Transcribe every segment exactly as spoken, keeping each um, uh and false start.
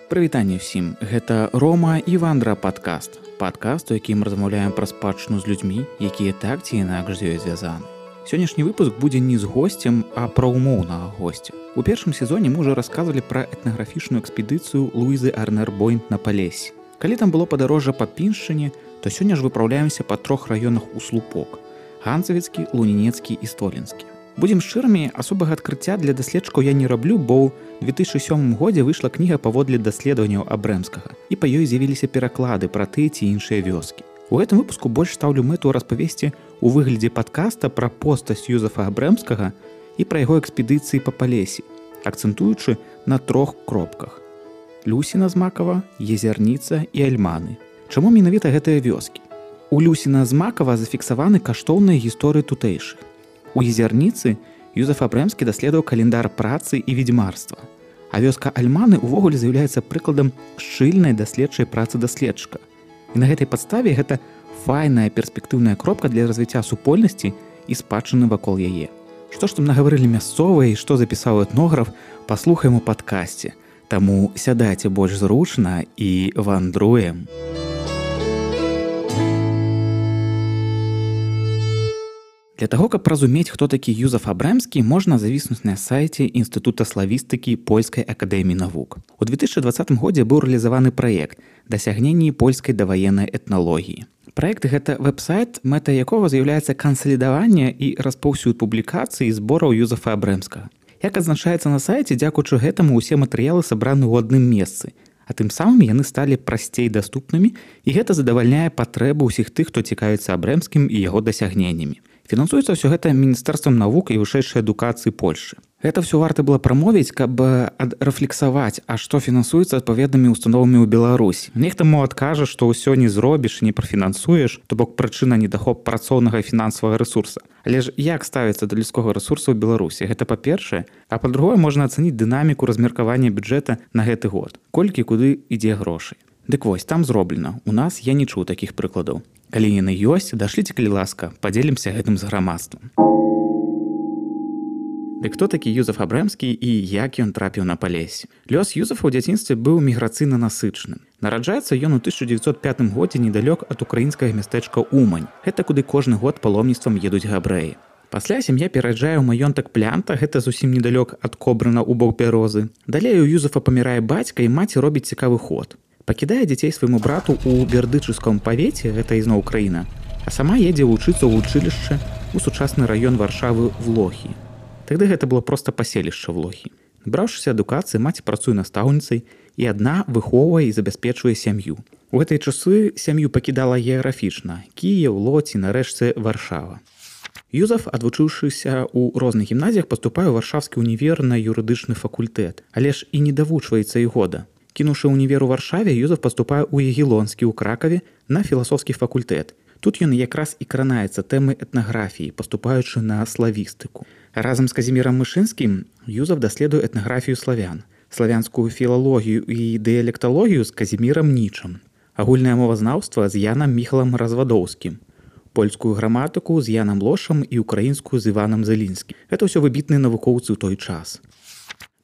Прывітанне ўсім, гэта Рома і Вандра падкаст. Падкаст, у якім размаўляем пра спадчыну з людзьмі, якія так ці інакш з ёй звязаны. Сённяшні выпуск будзе не з госцем, а пра умоўнага госця. У першым сезоне мы ўжо расказвалі пра этнаграфічную экспедыцыю Луізы Арнер-Бойнт на Палесі. Калі там было падарожжа па Піншчыне, то сёння ж выпраўляемся па трох раёнах у слупок: Ганцавіцкі, Лунінецкі і Столінскі. Будзем шчырамі, асобага адкрыцця для даследчыкаў я не раблю, бо ў две тысячы сёмым годзе выйшла кніга паводле даследаванняў Абрэмскага, і па ёй з'явіліся пераклады пра тыя ці іншыя вёскі. У гэтым выпуску больш стаўлю мэту распавесці ў выглядзе падкаста пра постаць Юзефа Абрэмскага і пра яго экспедыцыі па Палесі, акцэнтуючы на трох кропках: Люсіна-з-Макава, Езярніца і Альманы. Чаму менавіта гэтыя вёскі? У Люсіна-з-Макава зафіксаваны каштоўныя гісторыі тутэйшых. У Езярніцы Юзеф Абрэмскі даследаваў календар працы і ведзьмарства, а вёска Альманы ўвогуле з'яўляецца прыкладам шчыльнай даследчай працы даследчыка. І на гэтай падставе гэта файная перспектыўная кропка для развіцця супольнасці і спадчыны вакол яе. Што ж там нагаварылі мясцовыя і што запісаў этнограф, паслухаем у падкасці. Таму сядайце больш зручна і вандруем. Для таго, каб разумець, хто такі Юзеф Абрэмскі, можна завіснуць на сайце Інстытута славістыкі Польскай акадэміі навук. У две тысячы двадцатым годзе быў рэалізаваны праект «Дасягненні польскай даваеннай этналогіі». Праект – гэта вэб-сайт, мэта якога з'яўляецца кансалідаванне і распаўсюд публікацый і збораў Юзефа Абрэмскага. Як адзначаецца на сайце, дзякуючы гэтаму ўсе матэрыялы сабраны ў адным месцы, а тым самым яны сталі прасцей даступнымі, і гэта задавальняе патрэбу ўсіх тых, хто цікавіцца Абрэмскім і яго дасягненнямі. Фінансуецца ўсё гэта Міністэрствам навук і вышэйшай адукацыі Польшы. Гэта ўсё варта было прамовіць, каб рэфлексаваць, а што фінансуецца адпаведнымі установамі ў Беларусі. Нехта мо адкажа, што ўсё не зробіш і не прафінансуеш, то бок прычына недахоп працоўнага і фінансавага рэсурса. Але ж як ставіцца да людскога рэсурсу ў Беларусі? Гэта па-першае, а па-другое, можна ацаніць дынаміку размеркавання бюджэта на гэты год. Колькі куды ідзе грошай. Дык вось, там зроблена. У нас я не чуў такіх прыкладаў. Калі яны ёсць, дашліце, калі ласка, падзелімся гэтым з грамадствам. Дык хто такі Юзеф Абрэмскі і як ён трапіў на Палесі? Лёс Юзефа ў дзяцінстве быў міграцыйна насычаным. Нараджаецца ён у тысяча дзевяцьсот пятым годзе недалёк ад украінскага мястэчка Умань. Гэта куды кожны год паломніцтвам едуць габрэі. Пасля сям'я пераязджае ў маёнтак Плянта, гэта зусім недалёк ад Кобрына ў бок Бярозы. Далей у Юзефа памірае бацька, і маці робіць цікавы ход. Пакідае дзяцей свайму брату ў бердычыцкім павеце, гэта ізноў Украіна, а сама едзе вучыцца ў вучылішча ў сучасны раён Варшавы в Лохі. Тады гэта было проста паселішча в Лохі. Набраўшыся адукацыі, маці працуе настаўніцай і адна выхоўвае і забяспечвае сям'ю. У гэтыя часы сям'ю пакідала геаграфічна: Кіеў, Лодзь і нарэшце Варшава. Юзеф, адвучыўшыся ў розных гімназіях, паступае ў Варшавскі універ на юрыдычны факультэт, але ж і не давучваецца і года. Кінуўшы ўнівер у Варшаве, Юзеф паступае ў Ягелонскі ў Кракаве на філасофскі факультэт. Тут ён якраз і кранаецца тэмы этнаграфіі, паступаючы на славістыку. Разам з Казімірам Мышынскім Юзеф даследуе этнаграфію славян, славянскую філалогію і дыялекталогію з Казімірам Нічам, агульнае мовазнаўства з Янам Міхалам Развадоўскім, польскую граматыку з Янам Лошам і украінскую з Іванам Зелінскім. Гэта ўсё выбітныя навукоўцы ў той час.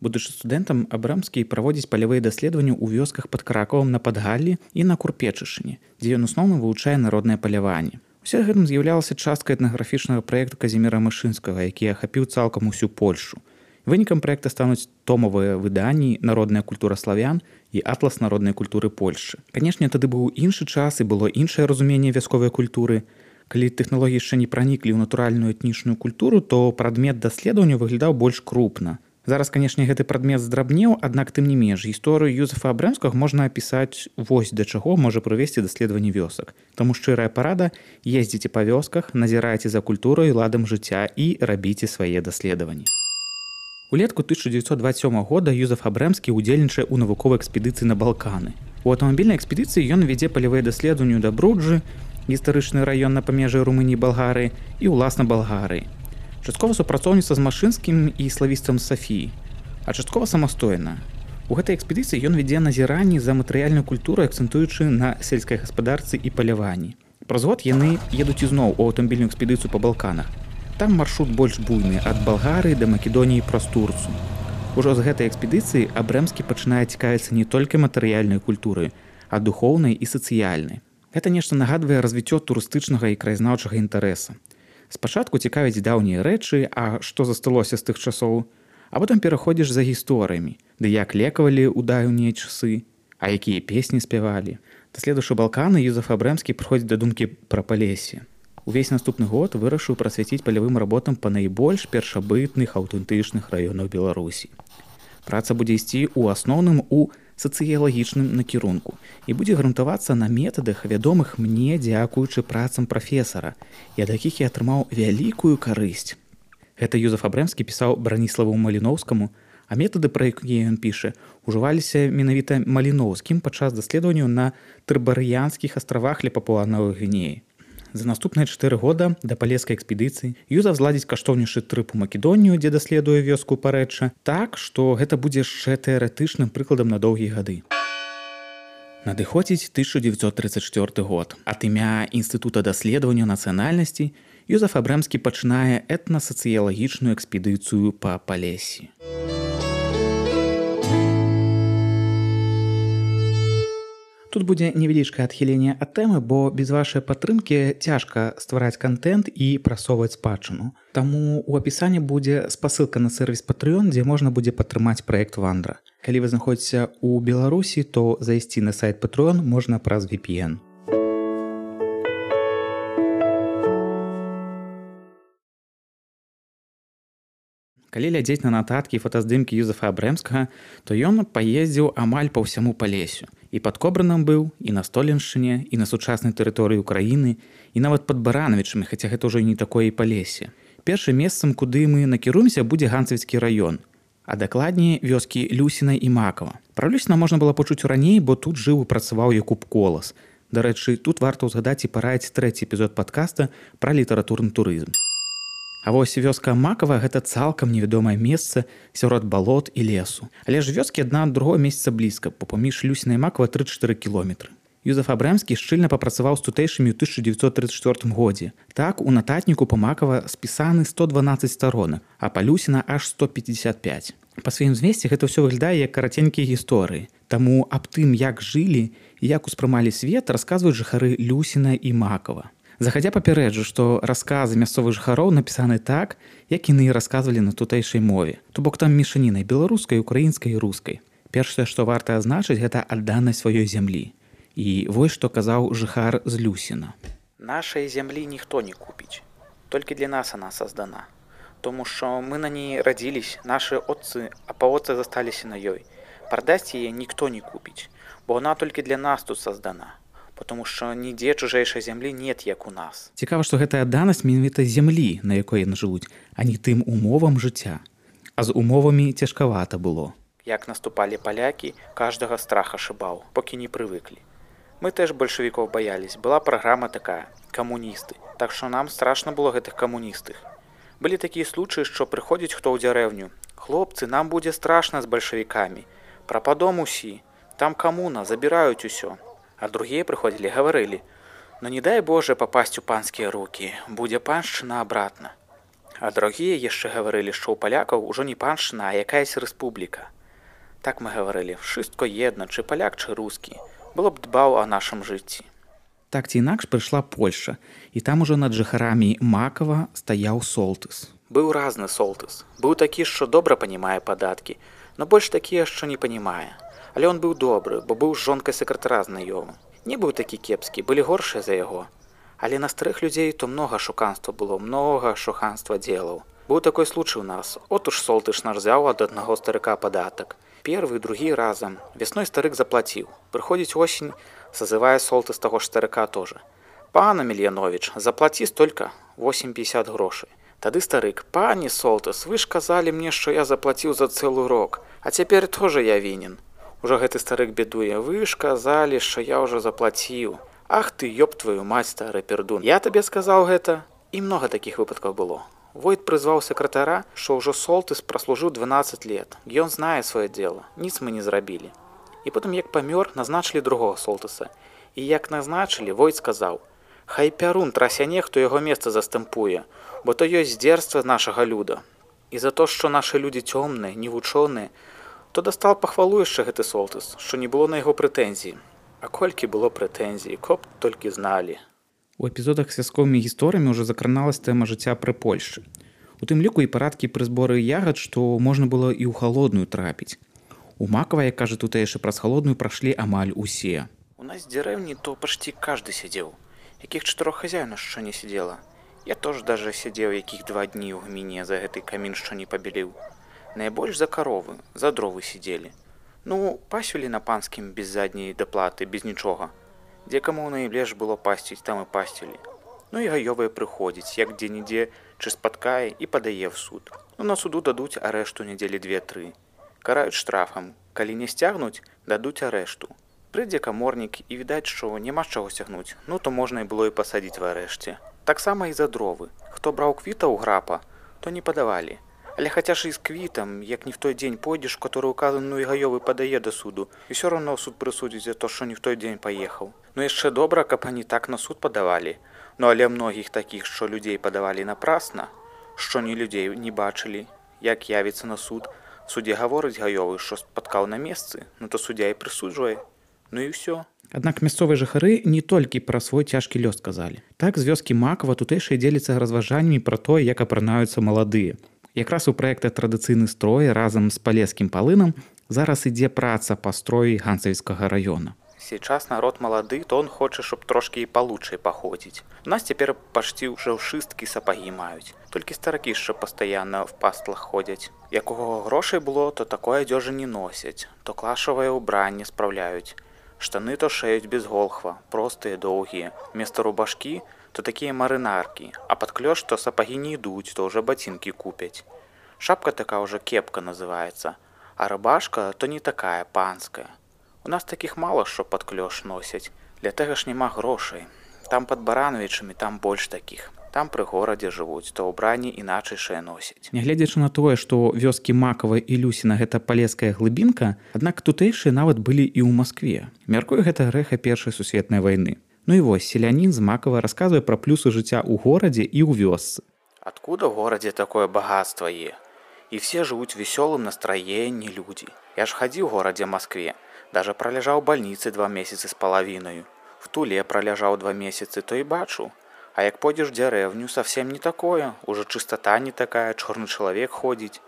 Будучы студэнтам, Абрэмскі праводзіць палявыя даследаванні ў вёсках пад Кракавам на Падгаллі і на Курпечышыне, дзе ён асноўна вывучае народнае паляванне. Усе гэтым з'яўлялася частка этнаграфічнага праекту Казіміра Мышынскага, які ахапіў цалкам усю Польшу. Вынікам праекта стануць томавыя выданні «Народная культура славян» і «Атлас народнай культуры Польшчы». Канешне, тады быў іншы час і было іншае разуменне вясковай культуры. Калі тэхналогіі яшчэ не праніклі ў натуральную этнічную культуру, то прадмет даследавання выглядаў больш крупна. Зараз, канешне, гэты прадмет здрабнеў, аднак тым не менш, гісторыю Юзефа Абрэмскага можна апісаць вось да чаго можа прывесці даследаванне вёсак. Таму шчырая парада: ездзіце па вёсках, назірайце за культурай і ладам жыцця і рабіце свае даследаванні. Улетку тысяча дзевяцьсот дваццаць сёмага года Юзеф Абрэмскі ўдзельнічае ў навуковай экспедыцыі на Балканы. У аўтамабільнай экспедыцыі ён вядзе палявыя даследаванні да Бруджы, гістарычны раён на памежжы Румыніі і Балгарыі, і ўласна Балгарыі. Часткова супрацоўніцтва з Машынскім і славістам Сафіі, а часткова самастойна. У гэтай экспедыцыі ён вядзе назіранні за матэрыяльную культуру, акцэнтуючы на сельскай гаспадарцы і паляванні. Праз год яны едуць ізноў у аўтамабільную экспедыцыю па Балканах. Там маршрут больш буйны, ад Балгарыі да Македоніі праз Турцыю. Ужо з гэтай экспедыцыі Абрэмскі пачынае цікавіцца не толькі матэрыяльнай культурай, а духоўнай і сацыяльнай. Гэта нешта нагадвае развіццё турыстычнага і краязнаўчага інтарэса. Спачатку цікавяць даўнія рэчы, а што засталося з тых часоў, а потым пераходзіш за гісторыямі, ды як лекавалі ў даўнія часы, а якія песні спявалі. Даследуючы Балканы, Юзеф Абрэмскі прыходзіць да думкі пра Палессе. Увесь наступны год вырашыў прасвяціць палявым работам па найбольш першабытных аўтэнтычных раёнах Беларусі. Праца будзе ісці ў асноўным у сацыялагічным накірунку і будзе грунтавацца на метадах, вядомых мне дзякуючы працам прафесара, і ад якіх я атрымаў вялікую карысць. Гэта Юзеф Абрэмскі пісаў Браніславу Маліноўскаму, а метады, пра якія ён піша, ужываліся менавіта Маліноўскім падчас даследаванняў на Трыбарыянскіх астравах ля Папуа-Новай Гвінеі. За наступныя чатыры года да палескай экспедыцыі Юзеф зладзіць каштоўнейшы трып у Македонію, дзе даследуе вёску Парэчча, так, што гэта будзе яшчэ тэарэтычным прыкладам на доўгія гады. Надыходзіць тысяча дзевяцьсот трыццаць чвёрты год. Ад імя Інстытута даследавання нацыянальнасцей Юзеф Абрэмскі пачынае этнасацыялагічную экспедыцыю па Палессі. Тут будзе невялічкае адхіленне ад тэмы, бо без вашай падтрымкі цяжка ствараць кантэнт і прасоўваць спадчыну. Таму ў апісанні будзе спасылка на сервіс Patreon, дзе можна будзе падтрымаць праект Вандра. Калі вы знаходзіцеся ў Беларусі, то зайсці на сайт Patreon можна праз ви пі эн. Калі глядзець на нататкі і фотаздымкі Юзефа Абрэмскага, то ён паездзіў амаль па ўсяму Палессю. І пад Кобранам быў, і на Столеншчыне, і на сучаснай тэрыторыі ўкраіны, і нават пад Баранавічамі, хаця гэта ўжо не такое і Палессе. Першым месцам, куды мы накіруемся, будзе Ганцавіцкі раён, а дакладней вёскі Люсіна і Макава. Пра Люсіна можна было пачуць раней, бо тут жыў і працаваў Якуб Колас. Дарэчы, тут варта ўзгадаць і параіць трэці эпізод падкаста пра літаратурны турызм. А вось вёска Макава – гэта цалкам невядомае месца сярод балот і лесу. Але ж вёскі адна ад другой месяца блізка, бо паміж Люсіна і Макава тры-чатыры кіламетры. Юзеф Абрэмскі шчыльна папрацаваў з тутэйшымі ў тысяча дзевяцьсот трыццаць чвёртым годзе. Так, у нататніку па Макава спісаны сто дванаццаць старонак, а па Люсіна аж сто пятьдесят пять. Па сваім змесце гэта ўсё выглядае як караценькія гісторыі. Таму аб тым, як жылі і як успрымалі свет, расказваюць жыхары Люсіна і Макава. Захадзя папярэджу, што расказы мясцовых жыхароў напісаны так, як яны і расказвалі на тутэйшай мове. То бок там мешаніна беларускай, украінскай і рускай. Першае, што варта азначыць, гэта адданасць сваёй зямлі. І вось што казаў жыхар з Люсіна. Нашай зямлі ніхто не купіць. Толькі для нас она создана. Тому што мы на ней радзіліся, нашы отцы, а паотцы засталіся на ёй. Прадасць яе ніхто не купіць, бо она толькі для нас тут создана. Потому што нідзе чужэйшай зямлі нет, як у нас. Цікава, што гэтая адданасць менавіта зямлі, на якой яны жывуць, а не тым умовам жыцця. А з умовамі цяжкавата было. Як наступалі палякі, каждага страх ашыбаў, покі не прывыклі. Мы теж бальшавікоў баялись. Была праграма такая – камуністы. Так што нам страшна было гэтых камуністых. Былі такія случаі, што прыходзіць хто ў дзярэвню. Хлопцы, нам будзе страшна з бальшавікамі. Прападом усі. Там камуна, забіраюць усё. А другія прыходзілі, гаварылі: «Ну не дай Боже папасць у панскія рукі, будзе паншчына абратна». А другія яшчэ гаварылі, што ў палякаў ужо не паншчына, а якаясь рэспубліка. Так мы гаварылі: «Wszystko jedno, чы паляк, чы рускі, было б дбаў о нашым жыцці». Так ці інакш прыйшла Польшча, і там ужо над жыхарамі Макава стаяў солтыс. Быў разны солтыс. Быў такі, што добра панімае падаткі, но больш такі, што не панімае. Але он быў добры, бо быў з жонкай сакратара знаёмы. Не быў такі кепскі, былі горшыя за яго. Але на старых людзей то многа шуканства было, многа шуханства дзелаў. Быў такой случай у нас. От уж солтыш наш взяў ад аднаго старыка падатак. Первы, другі разам. Весной старык заплаціў. Прыходзіць осень, сазывае солтыс таго ж старыка тоже. «Пан Амельянович, заплаці столька, восемь пятьдесят грошай». Тады старык: «Пані солтыс, вы ж казалі мне, што я заплаціў за цэлы рок, а цяпер тоже я вінен». Ужо гэты старык бедуе: «Вы ж казалі, што я ўжо заплаціў. Ах ты, ёб твою мать, стары пердун. Я табе сказаў гэта». І многа такіх выпадкаў было. Войт прызваў сакратара, што ўжо солтыс праслужыў дванаццаць лет. Ён знае сваё дело, ніц мы не зрабілі. І потым, як памёр, назначылі другога солтыса. І як назначылі, Войт сказаў: «Хай пярун трасяне, хто яго месца застэмпуе, бо то ёсць здзерства нашага люда». І за то, што нашы людзі цёмныя, невучоныя, то дастал пахвалу яшчэ гэты Солтыс, што не было на яго прэтэнзій. А колькі было прэтэнзій, каб толькі зналі. У эпізодах з вясковымі гісторыямі ўжо закраналась тэма жыцця пры Польшчы. У тым ліку і парадкі пры зборы ягад, што можна было і ў халодную трапіць. У Макава, як кажа тутэйшы, праз халодную прашлі амаль усе. У нас в деревне то почти каждый сидел. Яких четырех хозяев что не сидела. Я тоже даже сидел, яких два дни у гмине за этой камин что не побелил. Наибольш за коровы, за дровы сидели. Ну, пасюли на панским без задней доплаты, без ничего. Где кому наиблеж было пастить, там и пастили. Ну и гаёвые приходить, як где-нидзе, чи спаткае и подае в суд. Ну на суду дадуть арешту недели две-три. Карают штрафом, коли не стягнуть, дадуть арешту. Прыйдзе каморнік і відаць, што няма з чаго сцягнуць, ну то можна і было і пасадзіць в арэшце. Таксама і за дровы. Хто браў квіта ў грапа, то не падавалі. Але хаця ж і з квітам, як не в той дзень пойдзеш, который указан, ну і гаёвы падае да суду, і ўсё роўно суд прысудзіць за то, што не в той дзень паехаў. Ну яшчэ добра, каб они так на суд падавалі. Ну але многіх такіх, што людзей падавалі напрасна, што ні людзей не бачылі, як явіцца на суд, суддзя гаворыць гаёвы, што спаткаў на месцы, ну то суддзя і прысуджвае. Ну і ўсё. Аднак мясцовыя жыхары не толькі пра свой цяжкі лёс казалі. Так, з вёскі Макава тутэйшыя дзеліцца разважаннямі пра тое, як апранаюцца маладыя. Якраз у праекта «Традыцыйны строй» разам з палескім палынам зараз ідзе праца па строі Ганцавіцкага раёна. Сейчас народ молодый, то он хочет, чтоб трошки и получше походить. У нас теперь почти уже шистки сапоги мают. Только стараки еще постоянно в пастлах ходят. Якого грошей было, то такое одежи не носять. То клашевое убрание справляют. Штаны то шеють без голхва, простые, долгие. Вместо рубашки то такие маринарки, а под клёш то сапоги не идут, то уже ботинки купять. Шапка такая уже кепка называется, а рубашка то не такая, панская. У нас таких мало, що під кльош носять. Для того ж нема грошей. Там під Барановичами, там больш таких. Там при городі живуть, то убранні іначайшае носять. Нягледзячы на тое, што вёскі Макава і Люсіна гэта палеская глыбінка, аднак тутэйшыя нават былі і ў Маскве. Мяркую, гэта рэха першай сусветнай вайны. Ну і вось, селянін з Макава расказвае пра плюсы жыцця ў горадзе і ў вёсцы. Откуда в городе такое богатство е? И все живут в веселом настроении люди. Я ж ходил в городе Москве. Даже пролежал в больнице два месяца с половиной. В Туле пролежал два месяца, то и бачу. А як пойдешь в деревню, совсем не такое. Уже чистота не такая, черный человек ходить.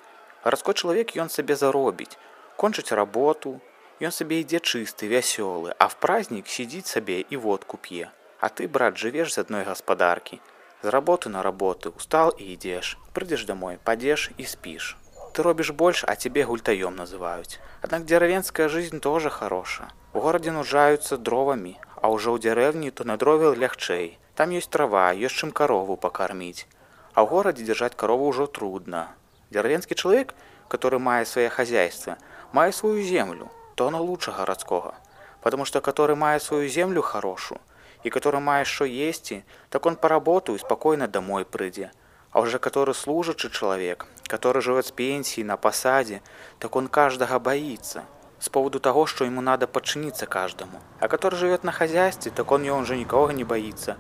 Городской человек, он себе заробить. Кончить работу, и он себе иде чистый, веселый. А в праздник сидит себе и водку пье. А ты, брат, живешь с одной господарки. С работы на работу, устал и идешь. Придешь домой, падешь и спишь. Ты робишь больше, а тебе гультаем называют. Однако деревенская жизнь тоже хорошая. В городе нуждаются дровами, а уже у деревни то на дрове легчей. Там есть трава, есть чем корову покормить. А в городе держать корову уже трудно. Деревенский человек, который мает свое хозяйство, мает свою землю, то оно лучше городского. Потому что который мает свою землю хорошую, и который мает что есть, так он поработает и спокойно домой придет. А уже который служачий человек, который живет с пенсии на посаде, так он каждого боится. С поводу того, что ему надо подчиниться каждому. А который живет на хозяйстве, так он, он же никого не боится.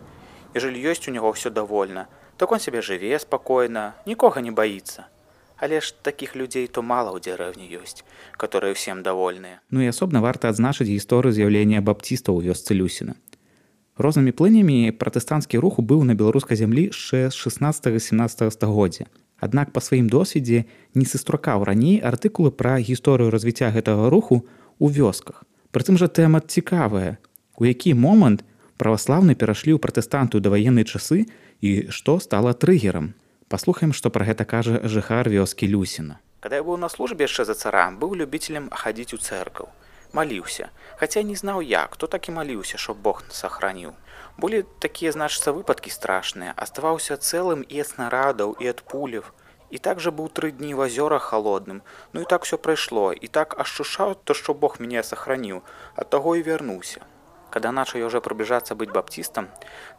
Ежели есть у него все довольно, так он себе живе спокойно, никого не боится. Але ж таких людей то мало у деревні ёсць, которые всем довольны. Ну і асобна варта адзначыць гісторыю з'яўлення баптыстаў у вёсцы Люсіна. Рознымі плынямі пратэстанцкі рух быў на беларускай зямлі яшчэ з шаснаццатага-сямнаццатага стагоддзя. Аднак па сваім досведзе не сустракаў раней артыкулы пра гісторыю развіцця гэтага руху ў вёсках. Прытым жа тэма цікавая, у які момант праваслаўны перашлі ў пратэстанту даваенныя часы і што стала трыгерам. Паслухаем, што пра гэта кажа жыхар вёскі Люсіна. Когда я был на службе яшчэ за цара, был любителем ходить у церкву. Молился. Хотя не знал я, кто так и молился, чтоб Бог сохранил. Были такие, значится, выпадки страшные. Оставался целым и от снарядов, и от пулев. И также был три дни в озерах холодным. Ну и так все прошло. И так ощущал то, что Бог меня сохранил. От того и вернулся. Когда начал я уже приближаться быть баптистом,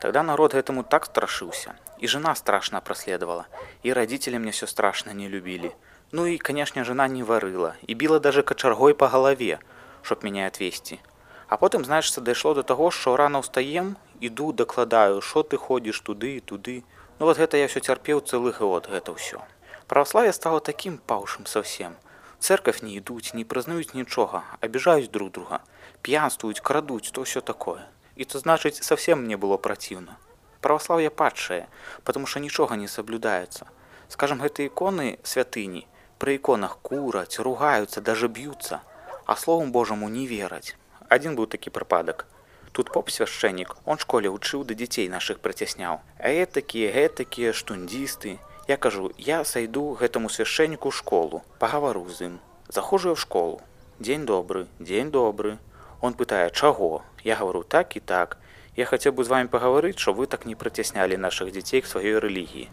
тогда народ этому так страшился. И жена страшно проследовала. И родители мне все страшно не любили. Ну и, конечно, жена не варила. И била даже кочергой по голове, чтоб меня отвести. А потом, знаешь, дошло до того, что рано устаем, иду, докладаю, что ты ходишь туды и туды. Ну вот это я все терпел целый год, это все. Православие стало таким паўшым совсем. В церковь не идут, не признают ничего, обижают друг друга, пьянствуют, крадут, то все такое. И то значит, совсем мне было противно. Православие падшее, потому что ничего не соблюдается. Скажем, это иконы святыни, при иконах курать, ругаются, даже бьются, а Словом Божьему не верать. Один был таки припадок. Тут поп-священник, он в школе учил, да детей наших притеснял. А этакие, этакие, штундисты. Я кажу, я сойду к этому священнику в школу, поговорю с ним. Захожу я в школу. День добрый, день добрый. Он питает, чего? Я говорю, так и так. Я хотел бы с вами поговорить, что вы так не притесняли наших детей к своей религии.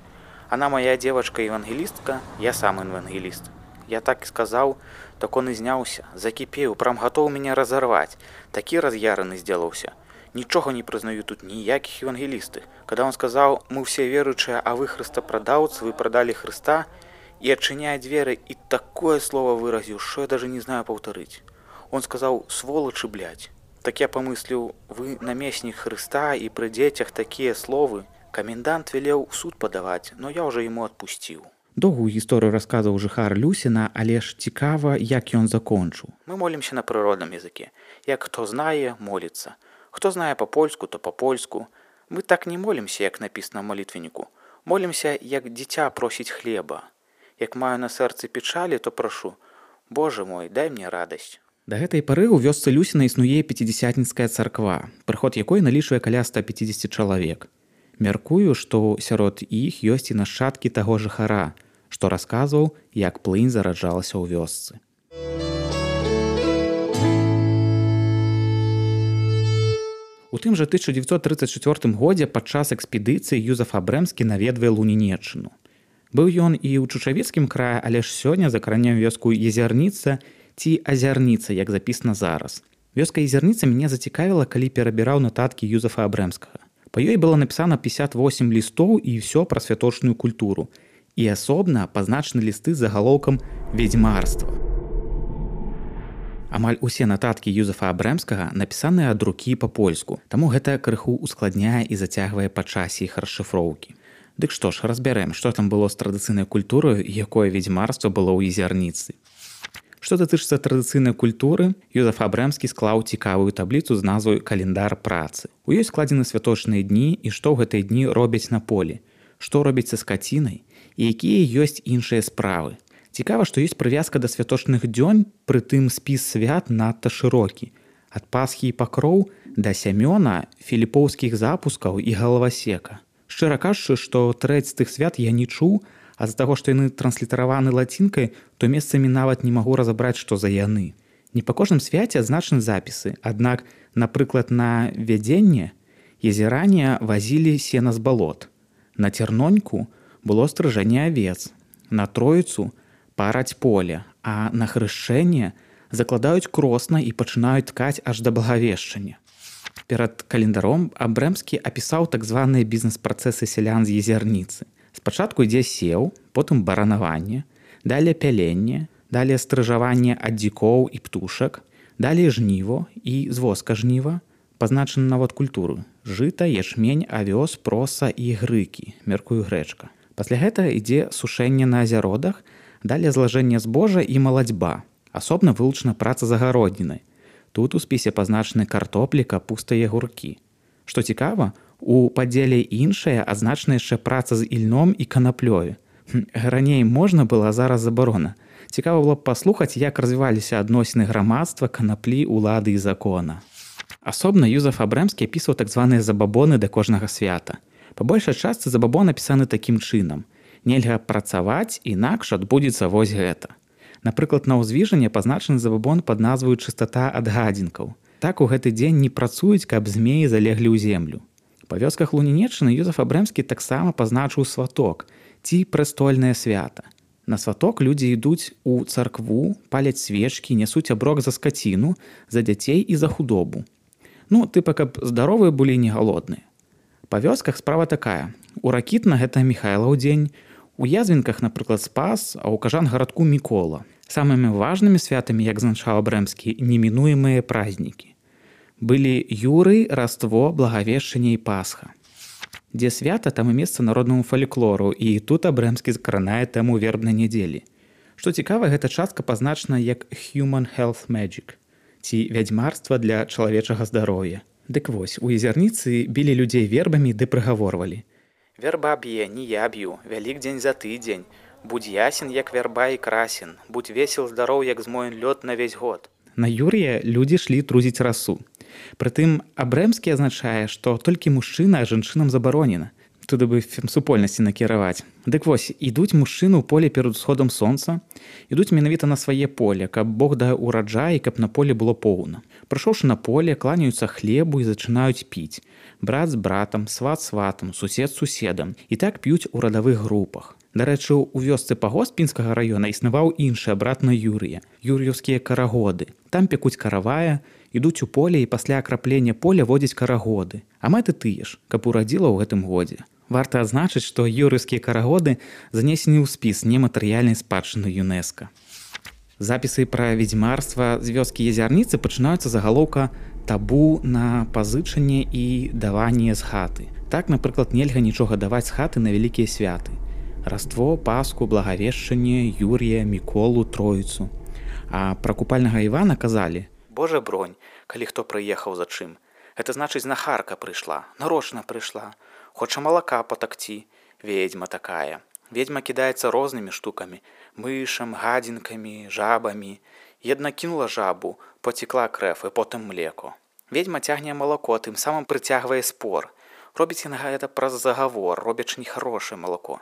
Она моя девочка-евангелистка, я сам евангелист. Я так и сказал, так он изнялся, закипел, прям готов меня разорвать. Таки разъяренный сделался. Ничего не признаю тут никаких евангелистов. Когда он сказал, мы все верующие, а вы христопродавцы, вы продали Христа, и отчиняя двери, и такое слово выразил, что я даже не знаю повторить. Он сказал, сволочи, блядь. Так я помыслил, вы наместник Христа, и при детях такие словы. Комендант велел в суд подавать, но я уже ему отпустил. Доўгую гісторыю расказаў жыхар Люсіна, але ж цікава, як ён закончыў. Мы молимся на природном языке. Як кто знае, молится. Кто знае по-польску, то по-польску. Мы так не молимся, як написано в молитвеннику. Молимся, як дитя просить хлеба. Як маю на сердце печали, то прошу, Боже мой, дай мне радость. Да гэтай пары ў вёсцы Люсіна існуе пяцідзясятніцкая царква, прыход якой налічвае каля ста пяцідзесят чалавек. Мяркую, што сярод іх ёсць і нашчадкі таго жыхара, што расказваў, як плынь зараджалася ў вёсцы. У тым жа тысяча девятьсот тридцать четвёртым годзе падчас экспедыцыі Юзеф Абрэмскі наведвае Лунінеччыну. Быў ён і ў Чучавіцкім краі, але ж сёння закранем вёску Езярніца ці Азярніца, як запісана зараз. Вёска Езярніца мяне зацікавіла, калі перабіраў нататкі Юзефа Абрэмскага. Па ёй было напісана пятьдесят восемь лістоў і ўсё пра святочную культуру. І асобна пазначаны лісты з загалоўкам «Ведзьмарства». Амаль усе нататкі Юзефа Абрэмскага напісаныя ад рукі па-польску, таму гэта крыху ускладняе і зацягвае па часе іх расшыфроўкі. Дык што ж, разбярэм, што там было з традыцыйнай культурай і якое ведзьмарства было ў Езярніцы. Што датычыцца традыцыйнай культуры, Юзеф Абрэмскі склаў цікавую табліцу з назвай «Календар працы». У ёй складзены святочныя дні і што ў гэтыя дні робяць на полі, што робіць са скацінай і якія ёсць іншыя справы. Цікава, што ёсць прывязка да святочных дзён, прытым спіс свят надта шырокі. Ад Пасхі і Пакроў да Сямёна, філіпоўскіх запускаў і галавасека. Шчыра кажучы, што трэць з тых свят я не чуў, а з-за таго, што яны транслітараваны лацінкай, то месцамі нават не магу разабраць, што за яны. Не па кожным свяце адзначаны запісы, аднак, напрыклад, на вядзенне езеране вазілі сена з балот. На Цярноньку было стрыжанне авец, на Троіцу параць поле, а на хрышчэнне закладаюць кросна і пачынаюць ткаць аж да Благавешчання. Перад календаром Абрэмскі апісаў так званыя бізнес-працэсы сялян з Езярніцы. Спачатку ідзе сеў, потым баранаванне, далее пяленне, далее стрыжаванне ад дзікоў і птушак, далее жніво і звозка жніва, пазначаны нават культуры: жыта, ячмень, авёс, проса і грыкі, мяркую грэчка. Пасля гэтага ідзе сушэнне на азяродах, далее злажэнне збожжа і малацьба. Асобна вылучана праца з агароднінай. Тут у спісе пазначаны картоплі, капуста і агуркі. Што цікава, у падзеле іншае адзначана яшчэ праца з ільном і канаплёю. Раней можна было, а зараз забарона. Цікава было б паслухаць, як развіваліся адносіны грамадства, канаплі, улады і закона. Асобна Юзеф Абрэмскі апісваў так званыя забабоны да кожнага свята. Па большай частцы забабон напісаны такім чынам: нельга працаваць, інакш адбудзецца вось гэта. Напрыклад, на ўзвіжанне пазначаны забабон пад назваю «Чыстата ад гадзінкаў». Так у гэты дзень не працуюць, каб змеі залеглі ў землю. Па вёсках Лунінеччыны Юзеф Абрэмскі таксама пазначыў сваток ці прэстольнае свята. На сваток людзі ідуць у царкву, паляць свечкі, нясуць аброк за скаціну, за дзяцей і за худобу. Ну, тыпа, каб здаровыя былі не галодныя. Па вёсках справа такая: у Ракітна гэта Міхайлаў дзень, у Язвінках, напрыклад, Спас, а ў Кажангарадку Мікола. Самымі важнымі святамі, як зазначаў Абрэмскі, немінуемыя празнікі. Былі Юрый, Раство, Благавешчанне і Пасха. Дзе свята, там і месца народнаму фальклору, і тут Абрэмскі закранае тэму вербнай нядзелі. Што цікава, гэта частка пазначана як «human health magic» ці «вядзьмарства для чалавечага здароўя». Дык вось, у Езярніцы білі людзей вербамі ды прыгаворвалі. Верба б'е, не я б'ю, Вялікдзень за тыдзень. Будь ясен, як вярба і красен, будь весел, здароў, як змоен лёд на весь год. На Юрія людзі шлі трузіць расу. Прытым Абрэмскі азначае, што толькі мужчына, а жанчынам забаронена. Туды бы супольнасці накіраваць. Дык вось, ідуць мужчыны ў поле перад усходам сонца, ідуць менавіта на свае поле, каб Бог даў ураджай, каб на поле было поўна. Прыйшоўшы на поле, кланяюцца хлебу і зачынаюць піць. Брат з братам, сват з сватам, сусед з суседам. І так п'юць у радавых групах. Дарэчы, у вёсцы Пагост Пінскага раёна існаваў іншы брат на Юрыя, юр'еўскія карагоды. Там пекуць каравая, ідуць у поле і пасля акраплення поля водзяць карагоды. А мэты тыя ж, каб урадзіла ў гэтым годзе. Варта адзначыць, што юр'еўскія карагоды занесены ў спіс нематэрыяльнай спадчыны ЮНЕСКО. Запісы пра ведзьмарства з вёскі Езярніцы пачынаюцца загалоўка «табу на пазычанне і даванне з хаты». Так, напрыклад, нельга нічога даваць з хаты на вялікія святы. Раство, Пасху, Благавешчанне, Юрія, Міколу, Троіцу. А пра купальнага Івана казалі: «Божа бронь, калі хто прыехаў за чым. Гэта значыць, знахарка прыйшла, нарочна прыйшла. Хоча малака патакці, ведьма такая. Ведьма кідаецца рознымі штукамі, мышам, гадзінкамі, жабамі. Една кінула жабу, потекла крэв і потым млеко. Ведьма цягне малако, тым самым прыцягвае спор. Робіць яна гэта праз загавор, робячы нехарошае малако.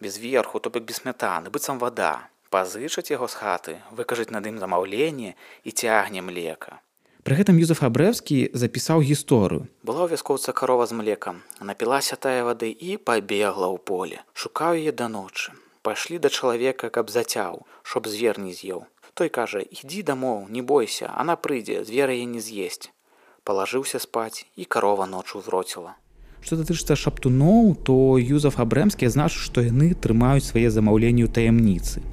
Без верху, то бок без смятаны, быццам вада. Пазычаць яго з хаты, выкажаць над ім замаўленне і цягне млека». Пры гэтым Юзеф Абрэўскі запісаў гісторыю. «Была ў вяскоўца карова з млекам, напілася тая вады і пабегла ў поле. Шукаў яе да ночы. Пайшлі да чалавека, каб зацяў, чтоб звер не з'еў. Той кажа: «Ідзі дамоў, не бойся, она прыйдзе, звер яе не з'есць». Палажыўся спаць, і карова ночу зроціла. Што датычыцца шаптуноў, то Юзеф Абрэмскі азначыў, што яны трымаюць свае замаўленні ў таямніцы.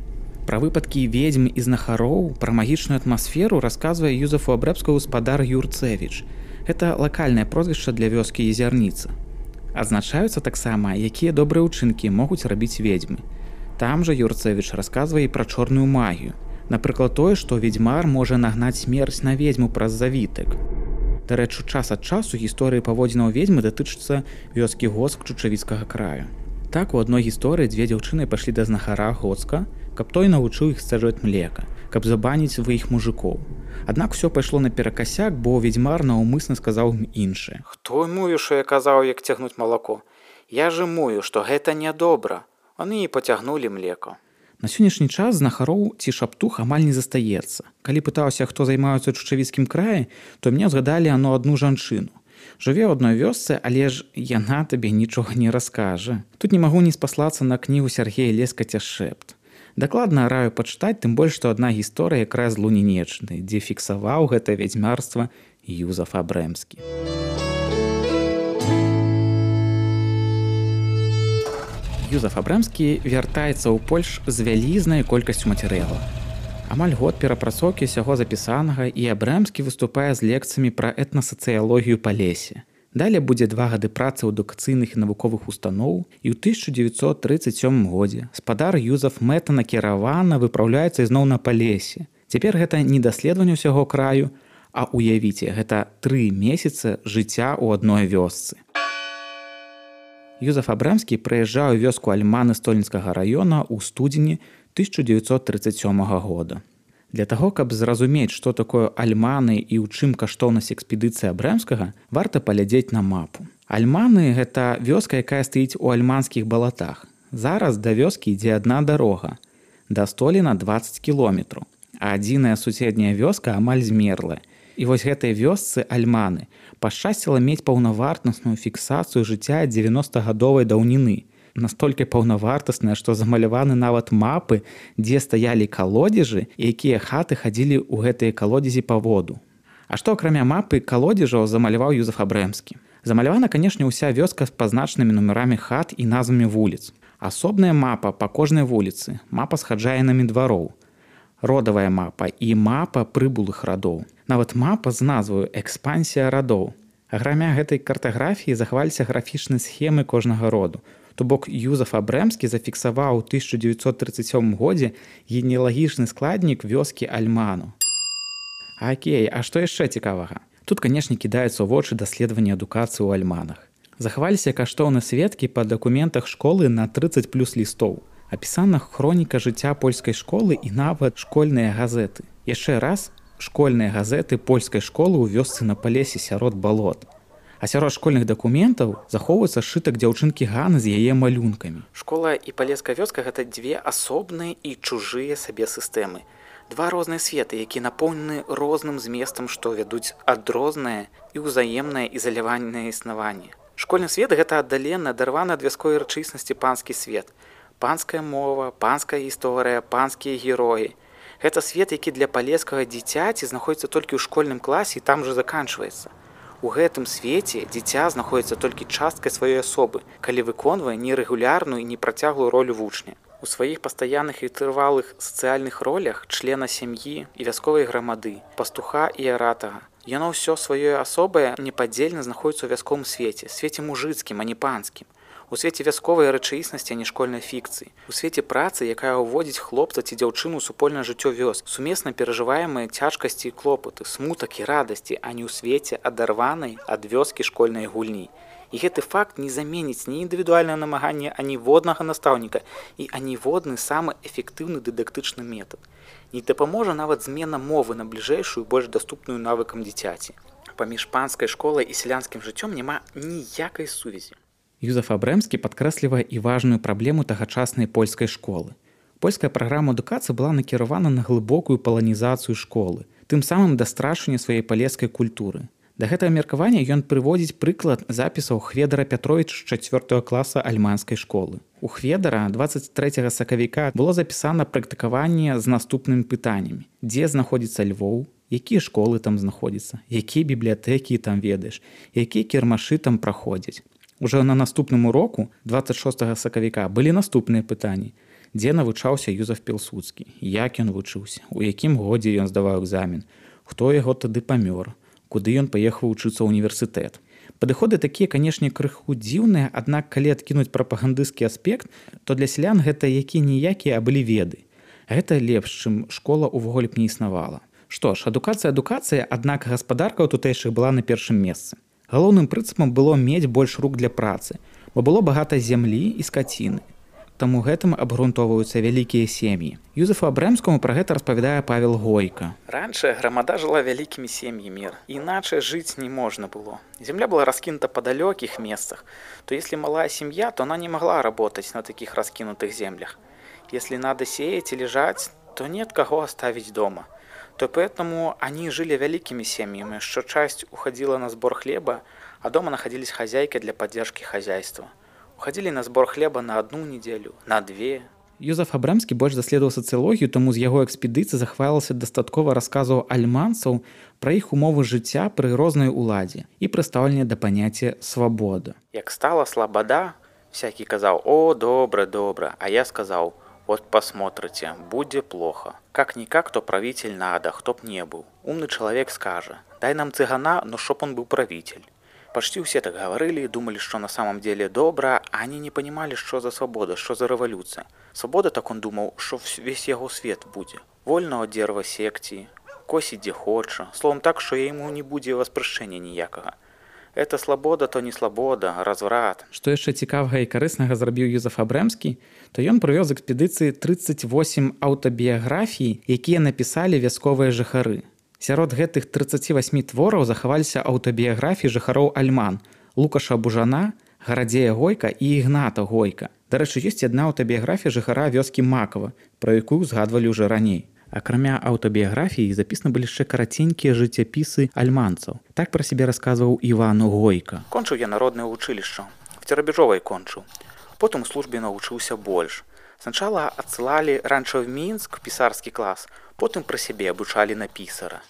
Пра выпадкі ведзьм і знахароў, пра магічную атмасферу расказвае Юзефу Абрэўскаму спадар Юрцэвіч. Гэта лакальнае прозвішча для вёскі Езярніца. Адзначаюцца таксама, якія добрыя ўчынкі могуць рабіць ведзьмы. Там жа Юрцэвіч расказвае і пра чорную магію. Напрыклад, тое, што ведзьмар можа нагнаць смерць на ведзьму праз завітак. Дарэчы, час ад часу гісторыі паводзінаў ведзьмы датычацца вёскі Гоцк Чучавіцкага краю. Так, у адной гісторыі дзве дзяўчыны пайшлі да знахара Гоцка, каб той навучыў іх сцяджваць млека, каб забаніць сваіх мужикоў. Аднак усё пайшло наперакасяк, бо ведзьмар наўмысна сказаў ім іншае. «Хто мую, што я казаў, як цягнуць малако? Я же мую, што гэта нядобра». Они і пацягнулі млеко. На сённяшні час знахароў ці шаптух амаль не застаецца. Калі пытаўся, хто займаецца ў Чучавіцкім краі, то мне згадалі ано адну жанчыну. Жыве ў адной вёсцы, але ж яна табе нічога не раскажа. Тут не магу не спаслацца на кнігу Сергея Лескаця «Шэпт». Дакладна раю пачытаць, тым больш, што адна гісторыя якраз з Лунінеччыны, дзе фіксаваў гэта вядзьмарства Юзеф Абрэмскі. Юзеф Абрэмскі вяртаецца ў Польш з вялізнай колькасцю матэрыялу. Амаль год перапрацоўкі ўсяго запісанага, і Абрэмскі выступае з лекцыямі пра этнасацыялогію Палесе. Далей будзе два гады працы ў адукацыйных і навуковых устаноў, і ў тысяча дзевяцьсот трыццаць сёмым годзе спадар Юзеф мэтанакіравана выпраўляецца ізноў на Палесе. Цяпер гэта не даследаванне ўсяго краю, а уявіце, гэта тры месяцы жыцця ў адной вёсцы. Юзеф Абрэмскі прыязджаў у вёску Альманы Стольніцкага раёна ў студзені тысяча дзевяцьсот трыццаць сёмага года. Для таго, каб зразумець, што такое Альманы і ў чым каштоўнасць экспедыцыі Абрэмскага, варта паглядзець на мапу. Альманы – гэта вёска, якая стаіць у альманскіх балатах. Зараз да вёскі ідзе адна дарога. Да Століна дваццаць кіламетраў, а адзіная суседняя вёска амаль змерлая. І вось гэтай вёсцы Альманы пашчасціла мець паўнавартасную фіксацыю жыцця дзевяностагадовай даўніны. Настолькі паўнавартасная, што замаляваны нават мапы, дзе стаялі калодзежы, і якія хаты хадзілі ў гэтыя калодзезі па воду. А што акрамя мапы калодзежаў замаляваў Юзеф Абрэмскі? Замалявана, канешне, ўся вёска з пазначанымі нумарамі хат і назвамі вуліц. Асобная мапа па кожнай вуліцы, мапа з хаджаінамі двароў, родавая мапа і мапа прыбулых радоў. Нават мапа з назваю «Экспансія радоў». Акрамя гэтай картаграфіі захаваліся графічныя схемы кожнага роду. То бок Юзаф Абрэмскі зафіксаваў у тысяча дзевяцьсот трыццаць сёмым годзе генеалагічны складнік вёскі Альману. Акей, а што яшчэ цікавага? Тут, канешне, кідаюцца ў вочы даследаванні адукацыі ў Альманах. Захаваліся каштоўныя сведкі па дакументах школы на трыццаць плюс лістоў. Апісана хроніка жыцця польскай школы і нават школьныя газеты. Яшчэ раз, школьныя газеты польскай школы ў вёсцы на Палесе сярод балот. А сярод школьных дакументаў захоўваецца сшытак дзяўчынкі Ганы з яе малюнкамі. Школа і палеская вёска гэта дзве асобныя і чужыя сабе сістэмы. Два розныя светы, якія напоўнены розным зместам, што вядуць адрознае і ўзаемнае ізаляванае існаванне. Школьны свет гэта аддалены, адарваны ад вясковай рэчыснасці панскі свет. Панская мова, панская гісторыя, панскія героі. Гэта свет, які для палескага дзіцяці знаходзіцца толькі ў школьным класе і там жа заканчваецца. У гэтым свеце дзіця знаходзіцца толькі часткай сваёй асобы, калі выконвае нерэгулярную і непрацяглую ролю вучня. У сваіх пастаянных і трывалых сацыяльных ролях члена сям'і і вясковай грамады, пастуха і аратага. Яно ўсё сваёй асобае непадзельна знаходзіцца ў вясковым свеце, свеце мужыцкім, а не панскім. У свеце вясковай рэчаіснасці, а не школьнай фікцыі. У свеце працы, якая ўводзіць хлопца ці дзяўчыну ў супольнае жыццё вёск, сумесна перажываемыя цяжкасці і клопаты, смутак і радасці, а не ў свеце адарванай ад вёскі школьнай гульні. І гэты факт не заменіць ні індывідуальнае намаганне аніводнага настаўніка і аніводны самы эфектыўны дыдактычны метад. Не дапаможа нават змена мовы на бліжэйшую, больш даступную навыкам дзіцяці. Паміж панскай школай і сялянскім жыццём няма ніякай сувязі. Юзаф Абрэмскі падкрэслівае і важную праблему тагачаснай польскай школы. Польская праграма адукацыі была накіравана на глыбокую паланізацыю школы, тым самым да страчвання сваёй палескай культуры. Да гэтага меркавання ён прыводзіць прыклад запісаў Хведара Пятровіча з чацвёртага класа альманскай школы. У Хведара дваццаць трэцяга сакавіка было запісана практыкаванне з наступнымі пытаннямі: дзе знаходзіцца Львоў, якія школы там знаходзяцца, якія бібліятэкі там ведаеш, якія кірмашы там праходзяць. Ужо на наступным уроку дваццаць шостага сакавіка былі наступныя пытанні: дзе навучаўся Юзаф Пілсудскі, як ён вучыўся, у якім годзе ён здаваў экзамен, хто яго тады памёр, куды ён паехаў вучыцца ў універсітэт. Падыходы такія, канешне, крыху дзіўныя, аднак калі адкінуць прапагандысцкі аспект, то для сялян гэта якія-ніякія, а былі веды. Гэта лепш, чым школа ўвогуле б не існавала. Што ж, адукацыя адукацыя, аднак гаспадарка ў тутэйшых была на першым месцы. Галоўным прынцыпам было мець больш рук для працы, бо было багата зямлі і скаціны. Таму гэтым абгрунтоўваюцца вялікія сем'і. Юзафу Абрэмскаму пра гэта распавядае Павел Гойка. Раньше грамада жила вялікімі сем'ямі, іначай жыць не можна было. Земля была раскинута по далеких местах, то если малая семья, то она не могла работать на таких раскинутых землях. Если надо сеять или жать, то нет кого оставить дома. То поэтому они жили великими семьями, что часть уходила на сбор хлеба, а дома находились хозяйки для поддержки хозяйства. Уходили на сбор хлеба на одну неделю, на две. Юзаф Абрэмскі больш даследаваў сацыялогію, таму з яго экспедыцыі захавалася дастаткова расказаў альманцаў пра іх умовы жыцця пры рознай уладзе і прадстаўленне да паняцця свабода. Як стала слабода, всякий казаў: «О, добра, добра», а я сказал: «Вот посмотрите, будет плохо. Как-никак, то правитель надо, кто б не был. Умный человек скажет: дай нам цыгана, но чтоб он был правитель». Почти все так говорили и думали, что на самом деле добро, а они не понимали, что за свобода, что за революция. Свобода, так он думал, что весь его свет будет. Вольного дерева секції, косить где хоче, словом так, что ему не будет воспрещения ніякого. Это свобода, то не свобода, разврат. Што яшчэ цікавага і карыснага зрабіў Юзаф Абрэмскі, то ён прывёз з экспедыцыі трыццаць восем аўтабіяграфій, якія напісалі вясковыя жыхары. Сярод гэтых трыццаці васьмі твораў захаваліся аўтабіяграфіі жыхароў Альман, Лукаша Бужана, Гарадзея Гойка і Ігната Гойка. Дарэчы, ёсць адна аўтабіяграфія жыхара вёскі Макава, пра якую згадвалі ўжо раней. Акрамя аўтабіяграфіі запісаны былі яшчэ караценькія жыццяпісы альманцаў. Так пра сябе расказваў Іван Гойка. Кончыў я народнае вучылішча, в Церабежовай кончыў. Потым у службе навучыўся больш. Сначала адсылалі раньше в Мінск пісарскі клас, потым пра сябе абучалі на пісара.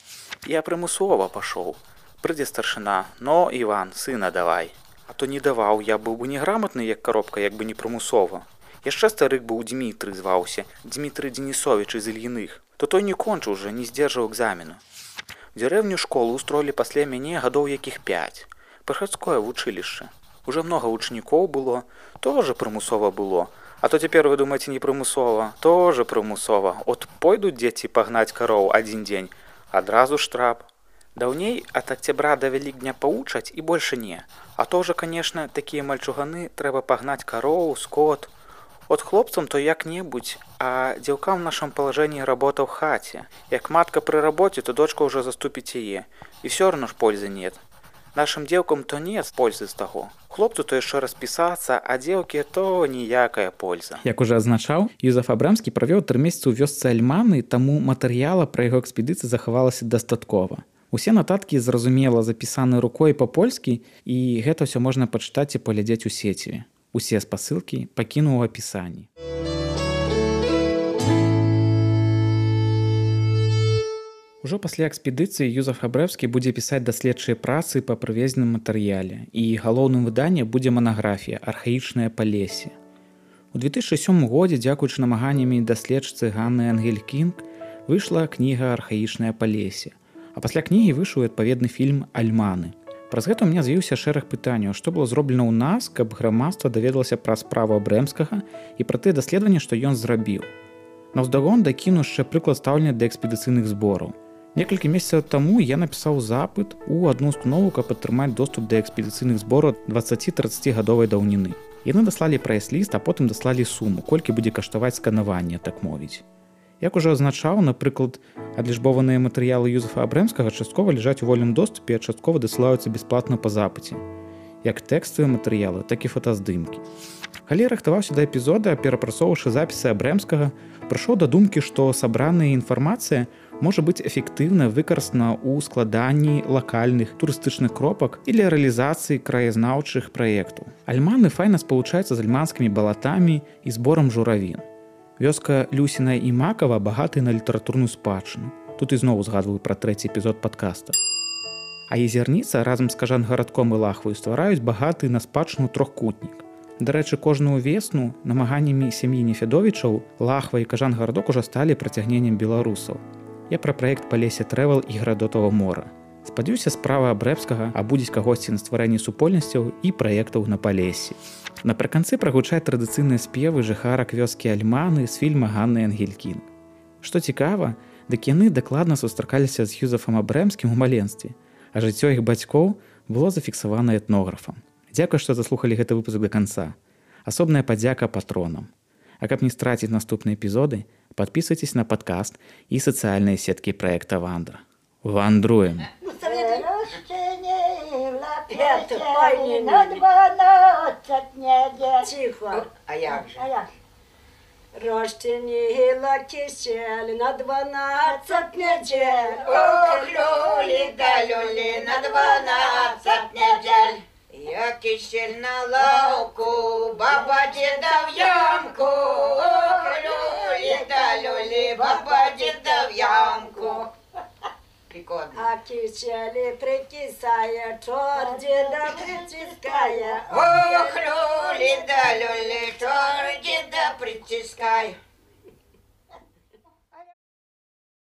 Я прымусова пашоў. Прыйдзе старшына: «Но, Іван, сына давай». А то не даваў, я быў бы неграмотны, як коробка, як бы не прымусова. Яшчэ старык быў Дмітрый зваўся, Дмітрый Денисович из Ільіных. То той не кончыў уже, не здзержаў экзамену. В деревню школу устроілі пасля мяне гадоў якіх пяць. Прыхадское вучылішча. Уже много вучнікоў было, тоже прымусова было. А то цяпер вы думаеце не прымусова, тоже прымусова. От пойдуць дзеці пагнаць кароў адзін дзень, адразу штраф. Даўней ад октября да Вялікдня паучаць і больше не. А то уже, конечно, такія мальчуганы трэба пагнаць кароў, скот. От хлопцам то як-небудзь, а дзеўкам в нашем положении работа в хаце. Як матка при работе, то дочка уже заступіць яе. І все равно ж пользы нет. Нашим дзеўкам то нет пользы з таго. Хлопцу то яшчэ распісацца, а дзеўкі то ніякая польза. Як уже азначаў, Юзеф Абрамскі правёў тры месяцы ў вёсцы Альманы, таму матэрыяла пра яго экспедыцыі захавалася дастаткова. Усе нататкі зразумела запісаны рукой па-польскі, і гэта ўсё можна пачытаць і паглядзець у сеціве. Усе спасылкі пакінуў у апісанні. Ужо пасля экспедыцыі Юзеф Абрамскі будзе пісаць даследчыя працы па прывезеным матэрыяле, і галоўным выданнем будзе манаграфія «Архаічнае Палессе». У две тысячы сёмым годзе, дзякуючы намаганнямі даследчыцы Ганны Энгель-Кінг, выйшла кніга «Архаічнае Палессе», а пасля кнігі выйшаў адпаведны фільм «Альманы». Праз гэта ў мяне з'явіўся шэраг пытанняў, што было зроблена ў нас, каб грамадства даведалася пра справу Абрамскага і пра тыя даследаванні, што ён зрабіў. Наўздагон дакіну яшчэ прыклад стаўлення да экспедыцыйных збораў. Некалькі месяцаў таму я напісаў запыт у адну установу, каб атрымаць доступ да экспедыцыйных збораў дваццаці-трыццацігадовай даўніны. Яны даслалі прайс-ліст, а потым даслалі суму, колькі будзе каштаваць сканаванне, так мовіць. Як ужо азначаў, напрыклад, адлічбованыя матэрыялы Юзефа Абрамскага часткова ляжаць у вольным доступе, а часткова дасылаюцца бясплатна па запыце. Як тэкставыя матэрыялы, так і фотаздымкі. Калі рыхтаваўся да эпізода, перапрацоўваўшы запісы Абрамскага, прыйшоў да думкі, што сабраная інфармацыя можа быць эфектыўна выкарыстана ў складанні лакальных турыстычных кропак і для рэалізацыі краязнаўчых праектаў. Альманы файна спалучаюцца з альманскімі балатамі і зборам журавін. Вёска Люсіна і Макава багатая на літаратурную спадчыну. Тут ізноў згадваю пра трэці эпізод падкаста. А Езерніца разам з Кажан-гарадком і Лахваю ствараюць багаты на спадчыну трохкутнік. Дарэчы, кожную весну намаганнямі сям'і Нефядовічаў Лахва і Кажан-гарадок ужо сталі працягненнем беларусаў. Я пра праект Палессе Трэвел і Градотава мора. Спадзяюся, справа Абрамскага абудзіць кагосьці на стварэнні супольнасцяў і праектаў на Палессі. Напрыканцы прагучаць традыцыйныя спевы жыхарак вёскі Альманы з фільма Ганны Энгель-Кінг. Што цікава, дык яны дакладна сустракаліся з Юзефам Абрамскім у маленстве, а жыццё іх бацькоў было зафіксавана этнографам. Дзякуй, што заслухалі гэты выпуск да канца. Асобная падзяка патронам. А каб не страціць наступныя эпізоды, падпісвайцеся на падкаст і сацыяльныя сеткі праекта Вандра. Вандруем! Тихо. А як же? Розчинила кисель на дванадцать недель. Ох, люли да люли на дванадцать недель. Я кисель на лавку, баба деда в ямку. Ох, люли да люли, баба деда в ямку. Прикольно. А кисели прикисая, чор деда притиская. Ох, люли да люли, чор деда притискай.